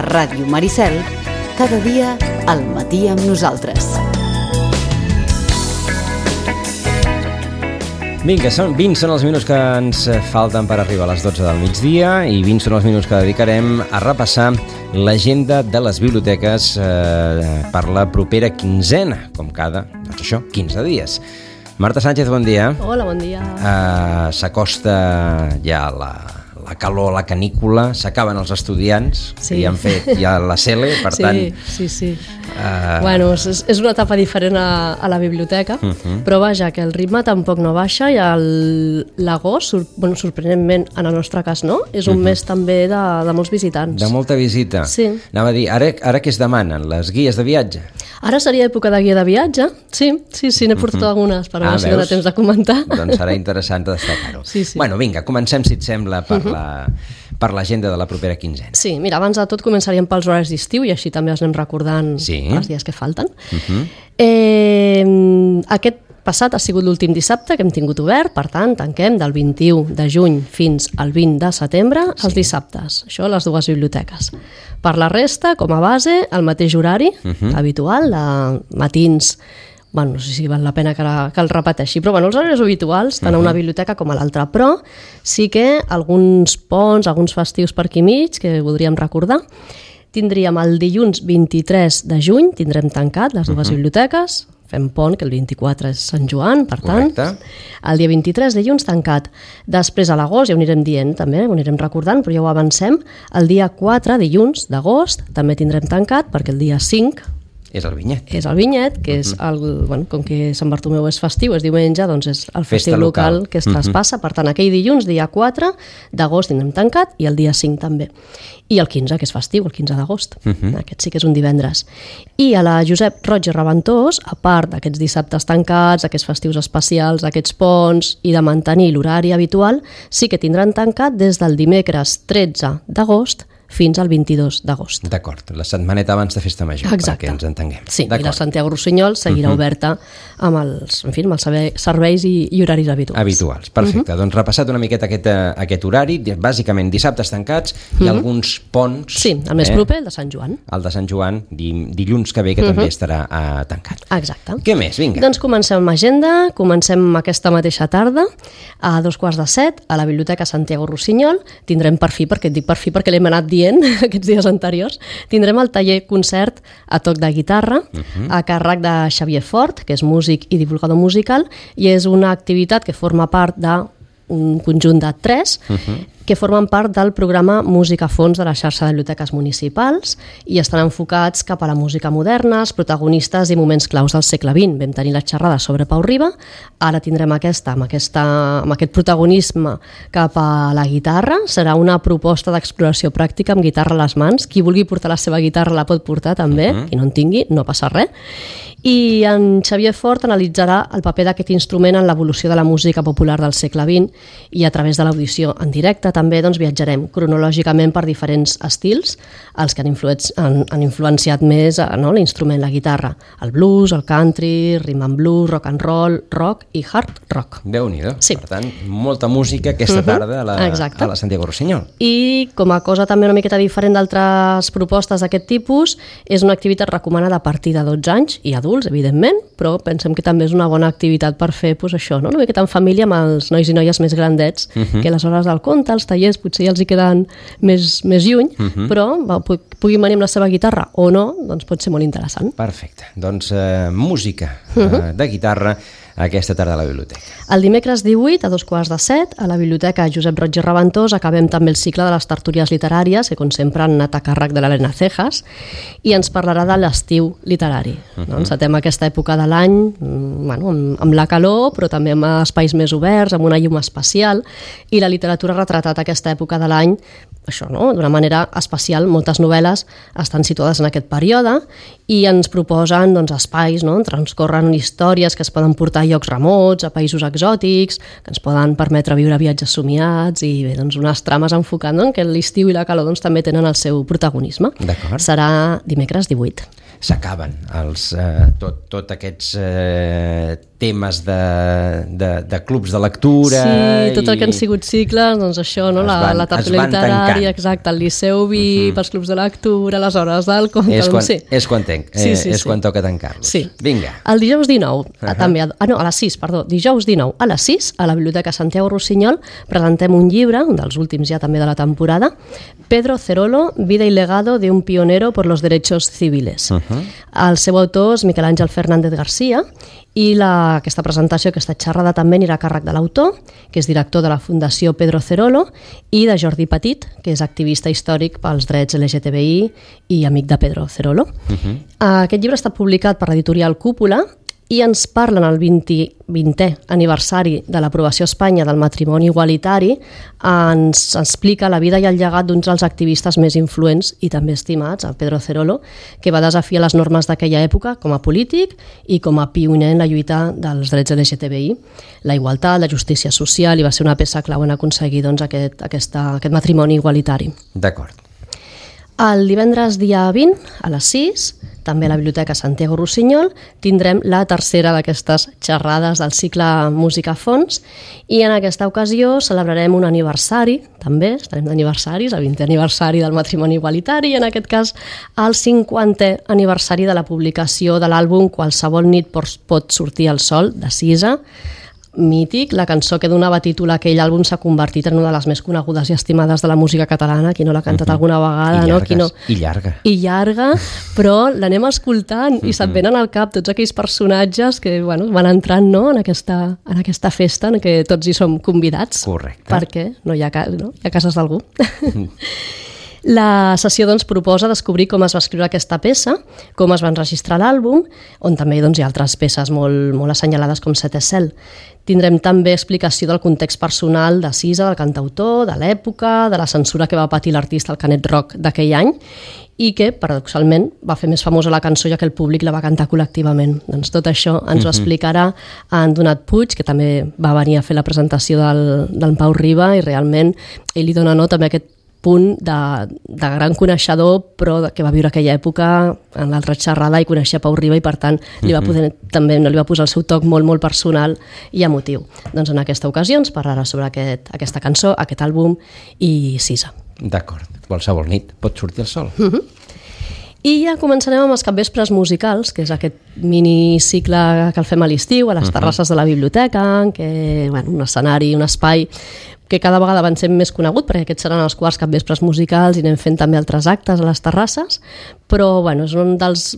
A Ràdio Maricel, cada dia al matí amb nosaltres. Vinga, 20 són els minuts que ens falten per arribar a les 12 del migdia i 20 són els minuts que dedicarem a repassar l'agenda de les biblioteques per la propera quinzena, com cada, doncs això, 15 dies. Marta Sánchez, bon dia. Hola, bon dia. S'acosta ja la calor, la canícula, s'acaben els estudiants, sí, que ja han fet ja la CELE, per tant... Sí. Bueno, és una etapa diferent a la biblioteca, però vaja, que el ritme tampoc no baixa i l'agost, sorprenentment, en el nostre cas no, és un mes també de molts visitants. De molta visita. Sí. Anava a dir, ara què es demanen? Les guies de viatge? Ara seria època de guia de viatge, sí, n'he portat algunes, per veure si dona temps de comentar. Doncs serà interessant destacar-ho. Sí. Bueno, vinga, comencem, si et sembla, per l'agenda de la propera quinzena. Sí, mira, abans de tot començaríem pels horaris d'estiu i així també els anem recordant els dies que falten. Aquest passat ha sigut l'últim dissabte que hem tingut obert, per tant, tanquem del 21 de juny fins al 20 de setembre els dissabtes. Això a les dues biblioteques. Per la resta, com a base, el mateix horari habitual, de matins. Bueno, no sé si val la pena que el repeteixi, però els horaris habituals, tant a una biblioteca com a l'altra. Però sí que alguns ponts, alguns festius per aquí mig, que voldríem recordar. Tindríem el dilluns 23 de juny, tindrem tancat les dues biblioteques, fem pont, que el 24 és Sant Joan, per tant. Correcte. El dia 23 dilluns tancat. Després a l'agost, ja ho anirem dient també, ho anirem recordant, però ja ho avancem. El dia 4 dilluns d'agost també tindrem tancat, perquè el dia 5 és el vinyet. És el vinyet, que és com que Sant Bartomeu és festiu, és diumenge, doncs és el festiu local que es traspassa. Per tant, aquell dilluns, dia 4 d'agost, tindrem tancat, i el dia 5 també. I el 15, que és festiu, el 15 d'agost. Aquest sí que és un divendres. I a la Josep Roig i Reventós, a part d'aquests dissabtes tancats, aquests festius especials, aquests ponts, i de mantenir l'horari habitual, sí que tindran tancat des del dimecres 13 d'agost fins al 22 d'agost. D'acord, la setmaneta abans de Festa Major, perquè ens entenguem. Sí, i la Santiago Rossinyol seguirà oberta amb els serveis i horaris habituals. Perfecte. Doncs repassat una miqueta aquest horari, bàsicament dissabtes tancats i alguns ponts. Sí, el més proper, el de Sant Joan. El de Sant Joan, dilluns que ve, que també estarà tancat. Exacte. Què més? Vinga. Doncs comencem amb agenda, comencem aquesta mateixa tarda, a 6:45, a la Biblioteca Santiago Rossinyol. Tindrem per fi, perquè et dic per fi perquè l'hem anat dient aquests dies anteriors, tindrem el taller concert a toc de guitarra a càrrec de Xavier Fort, que és músic i divulgador musical, i és una activitat que forma part d'un conjunt de 3 que formen part del programa Música a Fons de la xarxa de biblioteques municipals i estan enfocats cap a la música moderna, els protagonistes i moments claus del segle XX. Vam tenir la xerrada sobre Pau Riba, ara tindrem amb aquest protagonisme cap a la guitarra. Serà una proposta d'exploració pràctica amb guitarra a les mans. Qui vulgui portar la seva guitarra la pot portar també, qui no en tingui, no passa res. I en Xavier Fort analitzarà el paper d'aquest instrument en l'evolució de la música popular del segle XX i a través de l'audició en directe també viatjarem cronològicament per diferents estils, els que han influenciat més l'instrument, la guitarra, el blues, el country, rhythm and blues, rock and roll, rock i hard rock. Déu-n'hi-do. Sí. Per tant, molta música aquesta tarda a la Santiago Rossinyol. I com a cosa també una miqueta diferent d'altres propostes d'aquest tipus, és una activitat recomanada a partir de 12 anys i adults, evidentment, però pensem que també és una bona activitat per fer això, una miqueta en família amb els nois i noies més grandets, que a les hores del conte, els tallers potser ja els hi queden més lluny, però puguin venir amb la seva guitarra o no, doncs pot ser molt interessant. Perfecte. Doncs música de guitarra aquesta tarda a la biblioteca. El dimecres 18 a 6:45 a la Biblioteca Josep Roig i Reventós acabem també el cicle de les tertúlies literàries, que com sempre han anat a càrrec de l'Helena Cejas, i ens parlarà de l'estiu literari. Encetem aquesta època de l'any amb la calor, però també amb espais més oberts, amb una llum especial, i la literatura ha retratat aquesta època de l'any d'una manera especial. Moltes novel·les estan situades en aquest període i ens proposen espais on transcorren històries que es poden portar a llocs remots, a països exòtics, que ens poden permetre viure viatges somiats i unes trames enfocant que l'estiu i la calor també tenen el seu protagonisme. Serà dimecres 18. S'acaben tots aquests temes de clubs de lectura... Sí, tot el que han sigut cicles, doncs això, no? La tertúlia literària, exacte, el Liceu Vic, els clubs de lectura, les hores del conte... És quan toca tancar-los. Sí. Vinga. El dijous 19, també, a les 6, perdó, dijous 19 a les 6, a la Biblioteca Santiago Rossinyol, presentem un llibre, un dels últims ja també de la temporada, Pedro Cerolo, Vida y legado de un pionero por los derechos civiles. El seu autor és Miquel Àngel Fernández García, i aquesta presentació, aquesta xerrada també anirà a càrrec de l'autor, que és director de la Fundació Pedro Cerolo, i de Jordi Petit, que és activista històric pels drets LGTBI i amic de Pedro Cerolo. Aquest llibre està publicat per l'editorial Cúpula i ens parlen el 20è aniversari de l'aprovació a Espanya del matrimoni igualitari, ens explica la vida i el llegat d'uns dels activistes més influents i també estimats, el Pedro Cerolo, que va desafiar les normes d'aquella època com a polític i com a pioner en la lluita dels drets LGTBI, la igualtat, la justícia social, i va ser una peça clau en aconseguir doncs, aquest matrimoni igualitari. D'acord. El divendres dia 20, a les 6, també a la Biblioteca Santiago Rossinyol, tindrem la tercera d'aquestes xerrades del cicle Música a Fons, i en aquesta ocasió celebrarem un aniversari, també estarem d'aniversaris, el 20è aniversari del matrimoni igualitari, i en aquest cas el 50è aniversari de la publicació de l'àlbum Qualsevol nit pot sortir el sol, de Sisa, mític, la cançó que donava títol a aquell àlbum s'ha convertit en una de les més conegudes i estimades de la música catalana, qui no l'ha cantat alguna vegada. I llarga. I llarga, però l'anem escoltant i se't venen al cap tots aquells personatges que van entrant en aquesta festa en què tots hi som convidats. Correcte. Perquè hi ha cases d'algú. La sessió proposa descobrir com es va escriure aquesta peça, com es va enregistrar l'àlbum, on també hi ha altres peces molt assenyalades com Set és cel. Tindrem també explicació del context personal de Sisa, del cantautor, de l'època, de la censura que va patir l'artista al Canet Rock d'aquell any i que, paradoxalment, va fer més famosa la cançó ja que el públic la va cantar col·lectivament. Doncs tot això ens ho explicarà en Donat Puig, que també va venir a fer la presentació del Pau Riba, i realment ell li dona també aquest punt de gran coneixedor, però que va viure aquella època en l'altra xerrada i coneixia Pau Riba, i per tant li va posar el seu toc molt personal i emotiu. Doncs en aquesta ocasió ens parlarà sobre aquesta cançó, aquest àlbum i Sisa. D'acord, qualsevol nit pot sortir el sol. I ja començarem amb els capvespres musicals, que és aquest minicicle que el fem a l'estiu, a les terrasses de la biblioteca, que un escenari, un espai que cada vegada van ser més conegut, perquè aquests seran els quarts capvespres musicals i anem fent també altres actes a les terrasses, però és un dels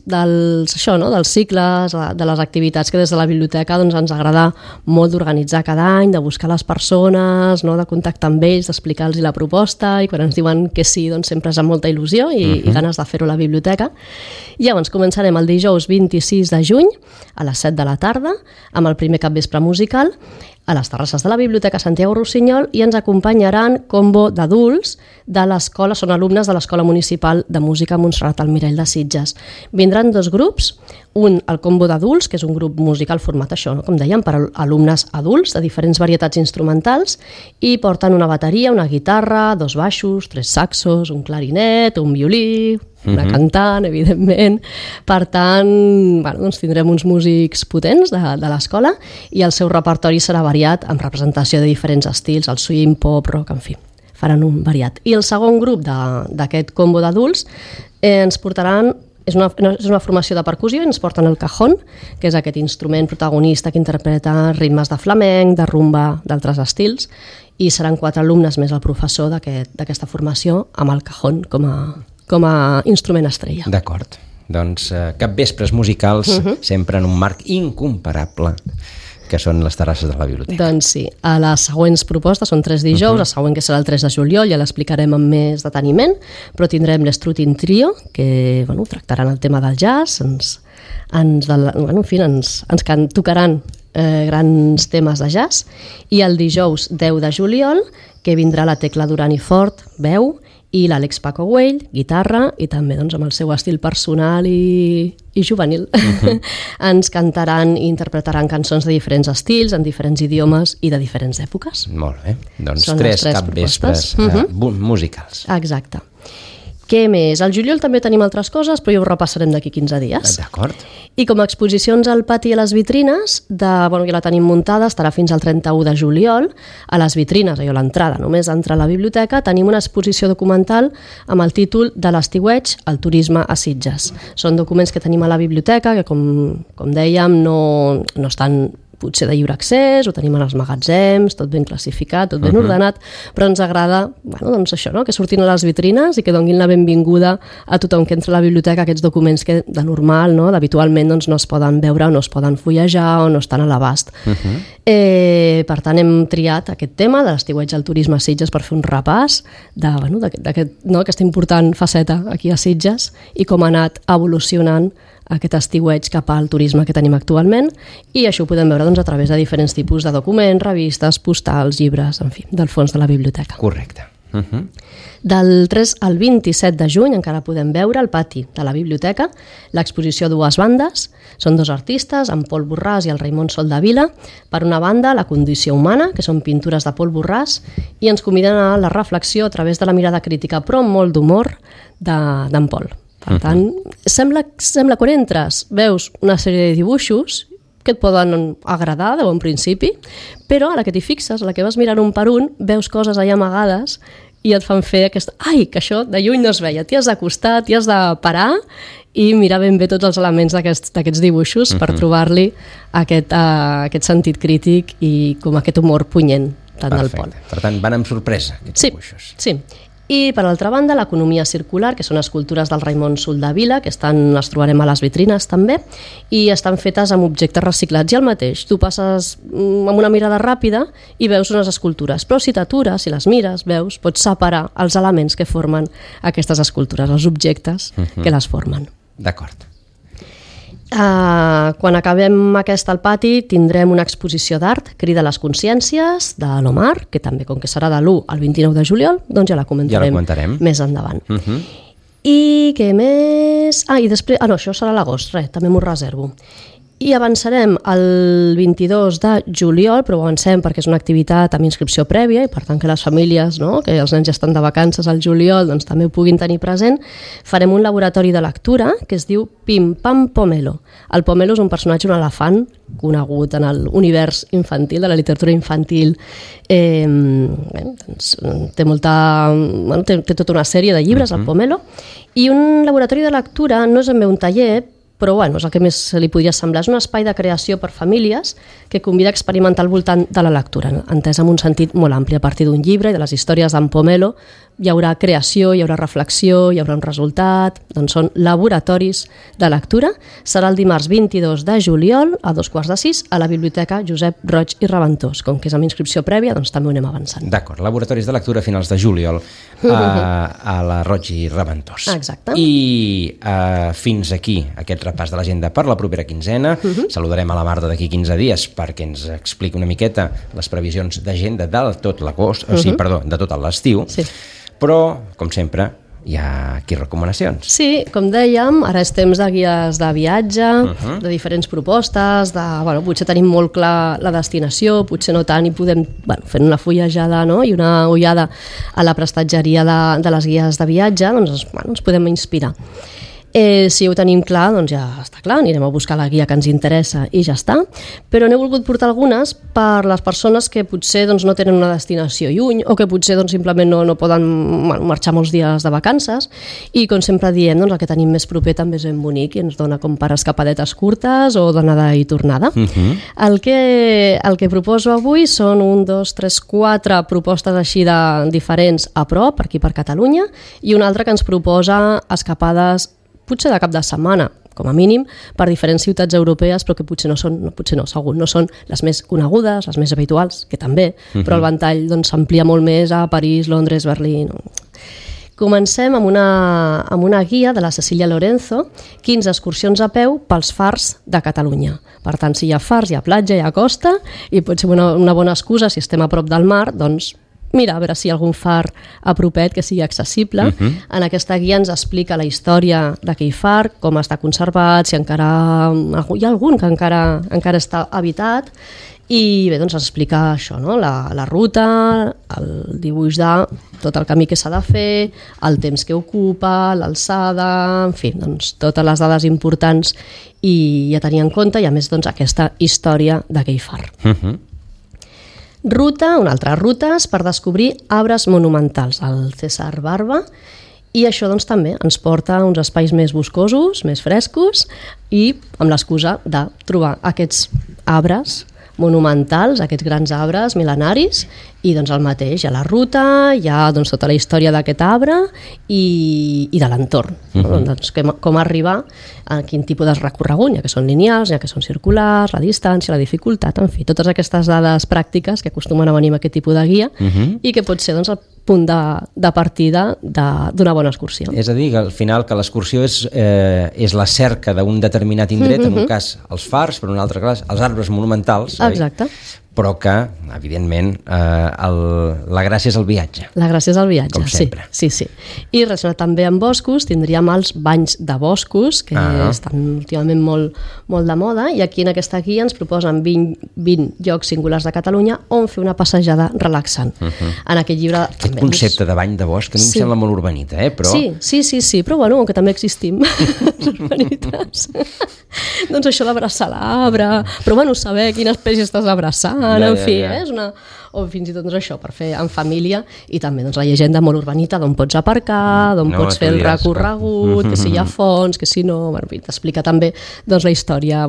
cicles, de les activitats que des de la biblioteca ens agrada molt d'organitzar cada any, de buscar les persones, de contactar amb ells, d'explicar-los la proposta, i quan ens diuen que sí, sempre és amb molta il·lusió i ganes de fer-ho a la biblioteca. I llavors començarem el dijous 26 de juny a les 7 de la tarda amb el primer capvespre musical a les terrasses de la Biblioteca Santiago Rossinyol, i ens acompanyaran combo d'adults de l'escola, són alumnes de l'Escola Municipal de Música Montserrat Almirall de Sitges. Vindran dos grups, un el combo d'adults, que és un grup musical format com dèiem, per alumnes adults de diferents varietats instrumentals, i porten una bateria, una guitarra, dos baixos, tres saxos, un clarinet, un violí, una cantant, evidentment. Per tant, tindrem uns músics potents de l'escola, i el seu repertori serà variat amb representació de diferents estils, el swing, pop, rock, en fi, faran un variat. I el segon grup d'aquest combo d'adults ens portaran, és una formació de percussió, i ens porten el cajón, que és aquest instrument protagonista que interpreta ritmes de flamenc, de rumba, d'altres estils, i seran 4 alumnes més el professor d'aquesta formació amb el cajón com a instrument estrella. D'acord. Doncs capvespres musicals, sempre en un marc incomparable, que són les terrasses de la biblioteca. Doncs sí. A les següents propostes són 3 dijous, la següent, que serà el 3 de juliol, ja l'explicarem amb més deteniment, però tindrem l'Strutin Trio, que tractaran el tema del jazz, ens tocaran grans temes de jazz, i el dijous 10 de juliol, que vindrà la Tecla Duran i Fort, veu, i l'Àlex Paco Güell, guitarra, i també amb el seu estil personal i juvenil. Ens cantaran i interpretaran cançons de diferents estils, en diferents idiomes i de diferents èpoques. Molt bé, doncs són 3 capvespres musicals. Exacte. Què més? Al juliol també tenim altres coses, però ja ho repassarem d'aquí 15 dies. D'acord. I com a exposicions al pati i a les vitrines, ja la tenim muntada, estarà fins al 31 de juliol. A les vitrines, allò l'entrada, només entrar a la biblioteca, tenim una exposició documental amb el títol de l'estiueig al turisme a Sitges. Són documents que tenim a la biblioteca que, com dèiem, no estan potser de lliure accés, ho tenim en els magatzems, tot ben classificat, tot ben ordenat, però ens agrada doncs això, no? Que surtin a les vitrines i que donin la benvinguda a tothom que entra a la biblioteca aquests documents que de normal, no? Habitualment doncs, no es poden veure o no es poden fullejar o no estan a l'abast. Per tant, hem triat aquest tema de l'estiueig al turisme a Sitges per fer un repàs d'aquesta important faceta aquí a Sitges i com ha anat evolucionant aquest estiueig cap al turisme que tenim actualment, i això ho podem veure a través de diferents tipus de documents, revistes, postals, llibres, en fi, del fons de la biblioteca. Correcte. Del 3 al 27 de juny encara podem veure al pati de la biblioteca l'exposició Dues bandes. Són dos artistes, en Pol Borràs i el Raimon Soldavila. Per una banda, La condició humana, que són pintures de Pol Borràs, i ens conviden a la reflexió a través de la mirada crítica, però amb molt d'humor, d'en Pol. Per tant, sembla quan entres, veus una sèrie de dibuixos que et poden agradar de bon principi, però a la que t'hi fixes, a la que vas mirant un per un, veus coses allà amagades i et fan fer que això de lluny no es veia. T'hi has d'acostar, t'hi has de parar i mirar ben bé tots els elements d'aquests dibuixos per trobar-li aquest sentit crític i com aquest humor punyent tant del Pol. Per tant, van amb sorpresa aquests dibuixos. Sí. I, per altra banda, l'economia circular, que són escultures del Raimon Soldavila, que les trobarem a les vitrines també, i estan fetes amb objectes reciclats. I el mateix, tu passes amb una mirada ràpida i veus unes escultures, però si t'atures, si les mires, veus, pots separar els elements que formen aquestes escultures, els objectes que les formen. D'acord. Quan acabem aquesta al pati tindrem una exposició d'art, Crida les consciències, de l'Omar, que també, com que serà de l'1 al 29 de juliol, doncs ja la comentarem més endavant. I què més? I després... no, això serà a l'agost, també m'ho reservo. I avançarem el 22 de juliol, però avancem perquè és una activitat amb inscripció prèvia i per tant que les famílies, que els nens ja estan de vacances al juliol, doncs també ho puguin tenir present. Farem un laboratori de lectura que es diu Pim Pam Pomelo. El pomelo és un personatge, un elefant, conegut en l'univers infantil, de la literatura infantil. Té tota una sèrie de llibres, el pomelo, i un laboratori de lectura no és ben bé un taller, però és el que més li podria semblar. És un espai de creació per famílies que convida a experimentar al voltant de la lectura, entès en un sentit molt ampli. A partir d'un llibre i de les històries d'en Pomelo hi haurà creació, hi haurà reflexió, hi haurà un resultat. Doncs són laboratoris de lectura. Serà el dimarts 22 de juliol a 5:15 a la Biblioteca Josep Roig i Reventós. Com que és amb inscripció prèvia, doncs també ho anem avançant. D'acord, laboratoris de lectura a finals de juliol a la Roig i Reventós. Exacte. I fins aquí aquest repàs de l'agenda per la propera quinzena. Saludarem a la Marta d'aquí 15 dies perquè ens expliqui una miqueta les previsions d'agenda de tot l'agost, de tot l'estiu. Sí. Però, com sempre, hi ha aquí recomanacions. Sí, com dèiem, ara és temps de guies de viatge, de diferents propostes, potser tenim molt clar la destinació, potser no tant, i podem fer una fullejada i una ullada a la prestatgeria de les guies de viatge, doncs ens podem inspirar. Si ho tenim clar, doncs ja està clar, anirem a buscar la guia que ens interessa i ja està, però n'he volgut portar algunes per les persones que potser no tenen una destinació lluny o que potser simplement no poden marxar molts dies de vacances, i com sempre diem, el que tenim més proper també és ben bonic i ens dona com per escapadetes curtes o d'anada i tornada. El que proposo avui són 1, 2, 3, 4 propostes així de diferents a prop, per aquí per Catalunya, i una altra que ens proposa escapades potser de cap de setmana, com a mínim, per diferents ciutats europees, però que potser no són les més conegudes, les més habituals, que també, però el ventall s'amplia molt més a París, Londres, Berlín. Comencem amb una guia de la Cecília Lorenzo, 15 excursions a peu pels fars de Catalunya. Per tant, si hi ha fars, hi ha platja, hi ha costa, i pot ser una bona excusa, si estem a prop del mar, doncs mira, a veure si hi ha algun far a propet que sigui accessible. En aquesta guia ens explica la història d'aquell far, com està conservat, si encara hi ha algun que encara està habitat, I bé, doncs explica això, no? La ruta, el dibuix de tot el camí que s'ha de fer, el temps que ocupa, l'alçada, en fi, doncs totes les dades importants i a tenir en compte, i a més doncs aquesta història d'aquell far. Ruta, una altra rutes per descobrir arbres monumentals, el César Barba, i això doncs també ens porta a uns espais més boscosos, més frescos, i amb l'excusa de trobar aquests arbres monumentals, aquests grans arbres mil·lenaris, i doncs el mateix, hi ha la ruta, hi ha doncs, tota la història d'aquest arbre i de l'entorn, doncs, com arribar a quin tipus de recorregut, ja que són lineals, ja que són circulars, la distància, la dificultat, en fi, totes aquestes dades pràctiques que acostumen a venir amb aquest tipus de guia i que pot ser doncs, el punt de partida d'una bona excursió. És a dir, que al final que l'excursió és la cerca d'un determinat indret, en un cas els fars, per un altre cas els arbres monumentals, exacte. Però que, evidentment, la gràcia és el viatge. La gràcia és el viatge, com sempre. Sí. I relacionat també amb boscos, tindríem els banys de boscos, que estan últimament molt de moda, i aquí en aquesta guia ens proposen 20 llocs singulars de Catalunya on fer una passejada relaxant. En aquest llibre... Aquest concepte de bany de bosc, que a mi em sembla molt urbanita, però... Sí, però bueno, que també existim, les urbanites. Doncs això d'abraçar l'arbre, però bueno, saber quina espècie estàs abraçant, en fi, és una... o fins i tot doncs, això, per fer en família, i també doncs, la llegenda molt urbanita d'on pots aparcar, d'on pots fer el recorregut, que si hi ha fonts, que si no, bueno, t'explica també doncs, la història,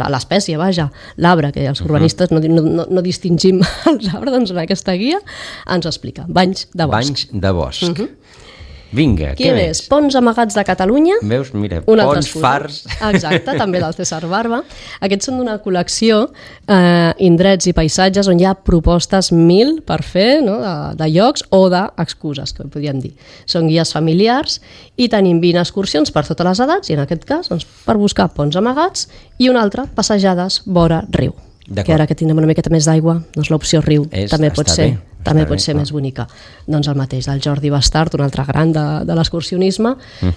l'espècie, vaja, l'arbre, que els urbanistes no distingim els arbres, doncs en aquesta guia ens ho explica, banys de bosc. Banys de bosc. Vinga, què més? Ponts amagats de Catalunya. Veus, mira, ponts, fars... Exacte, també del César Barba. Aquests són d'una col·lecció indrets i paisatges on hi ha propostes 1000 per fer, no? de llocs o d'excuses, que podríem dir. Són guies familiars i tenim 20 excursions per totes les edats, i en aquest cas doncs, per buscar ponts amagats, i una altra, passejades vora riu. Que ara que tindrem una miqueta més d'aigua, doncs l'opció riu també pot ser més bonica. Doncs el mateix del Jordi Bastard, un altre gran de l'excursionisme,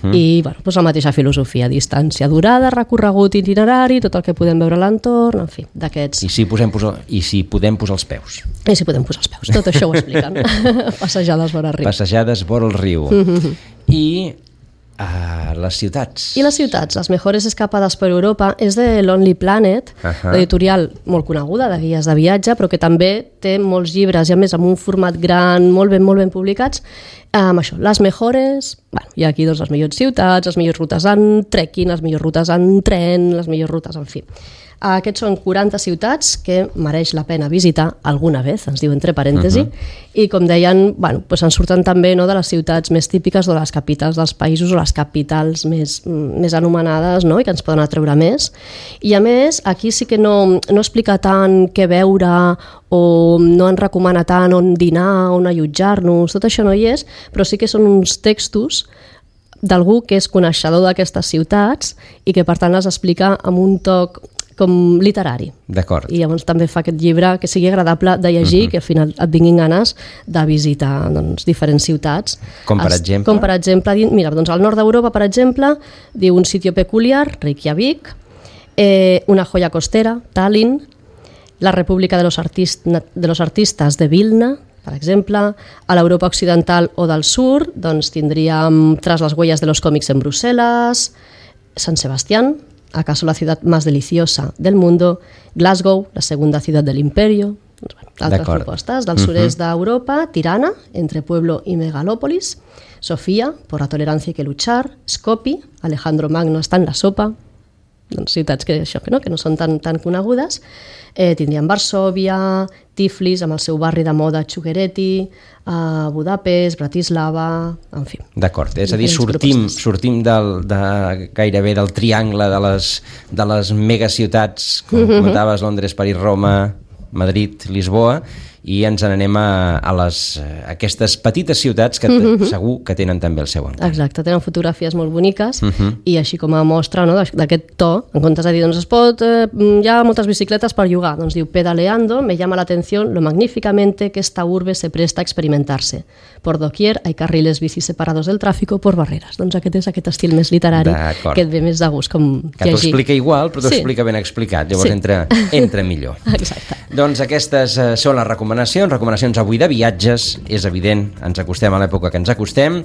i bueno, doncs la mateixa filosofia, distància durada, recorregut itinerari, tot el que podem veure a l'entorn, en fi, d'aquests... I si podem posar els peus. Tot això ho expliquen. Passejades vora el riu. Passejades vora el riu. I... les ciutats. I les ciutats, les mejores escapades per Europa, és de Lonely Planet, l'editorial molt coneguda de guies de viatge, però que també té molts llibres, i a més amb un format gran, molt ben publicats, amb això, les mejores, bueno, hi ha aquí doncs, les millors ciutats, les millors rutes en trekking, les millors rutes en tren, les millors rutes, en fi. Aquests són 40 ciutats que mereix la pena visitar alguna vez, ens diu entre parèntesi, i com deien, bueno, doncs ens surten també de les ciutats més típiques o de les capitals dels països o les capitals més anomenades, no? I que ens poden atreure més. I a més, aquí sí que no explica tant què veure o no ens recomana tant on dinar, on allotjar-nos, tot això no hi és, però sí que són uns textos d'algú que és coneixedor d'aquestes ciutats i que per tant les explica amb un toc com literari. D'acord. I llavors també fa aquest llibre que sigui agradable de llegir, que al final et vinguin ganes de visitar doncs, diferents ciutats. Com per exemple? Com per exemple, mira, doncs al nord d'Europa, per exemple, diu un sitio peculiar, Reykjavik, una joya costera, Tallinn, la República de los Artistas de Vilna, per exemple, a l'Europa occidental o del sur, doncs tindríem Tras las huellas de los cómics en Bruselas, San Sebastián, ¿acaso la ciudad más deliciosa del mundo? Glasgow, la segunda ciudad del imperio. Altres propostes. Del sud-est d'Europa, Tirana, entre pueblo y megalópolis. Sofía, por la tolerancia hay que luchar. Skopje, Alejandro Magno està en la sopa. Doncs ciutats que no són tan conegudes. Tindríem Varsòvia, Tiflis, amb el seu barri de moda Txuguereti, Budapest, Bratislava, en fi. D'acord, és a dir, sortim gairebé del triangle de les megaciutats, com comentaves, Londres, París, Roma, Madrid, Lisboa, i ens n'anem a aquestes petites ciutats que segur que tenen també el seu encant. Exacte, tenen fotografies molt boniques i així com a mostra, no, d'aquest to, en comptes de dir, doncs hi ha moltes bicicletes per llogar, doncs diu, pedaleando me llama la atención lo magníficamente que esta urbe se presta a experimentarse. Por doquier hay carriles bici separados del tráfico por barreras. Doncs aquest és aquest estil més literari que et ve més de gust com que t'ho explica igual, però t'ho explica ben explicat, llavors entra millor. Exacte. Doncs aquestes són les recomanacions avui de viatges, és evident, ens acostem a l'època que ens acostem,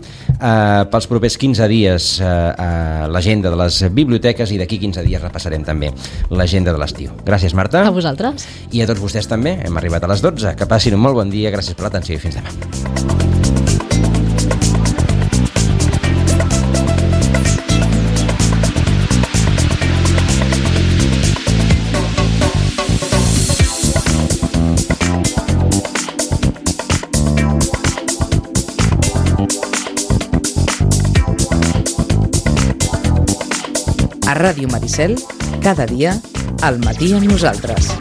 pels propers 15 dies l'agenda de les biblioteques i d'aquí 15 dies repassarem també l'agenda de l'estiu. Gràcies, Marta. A vosaltres. I a tots vostès també, hem arribat a les 12, que passin un molt bon dia, gràcies per l'atenció i fins demà. A Ràdio Maricel, cada dia, al matí amb nosaltres.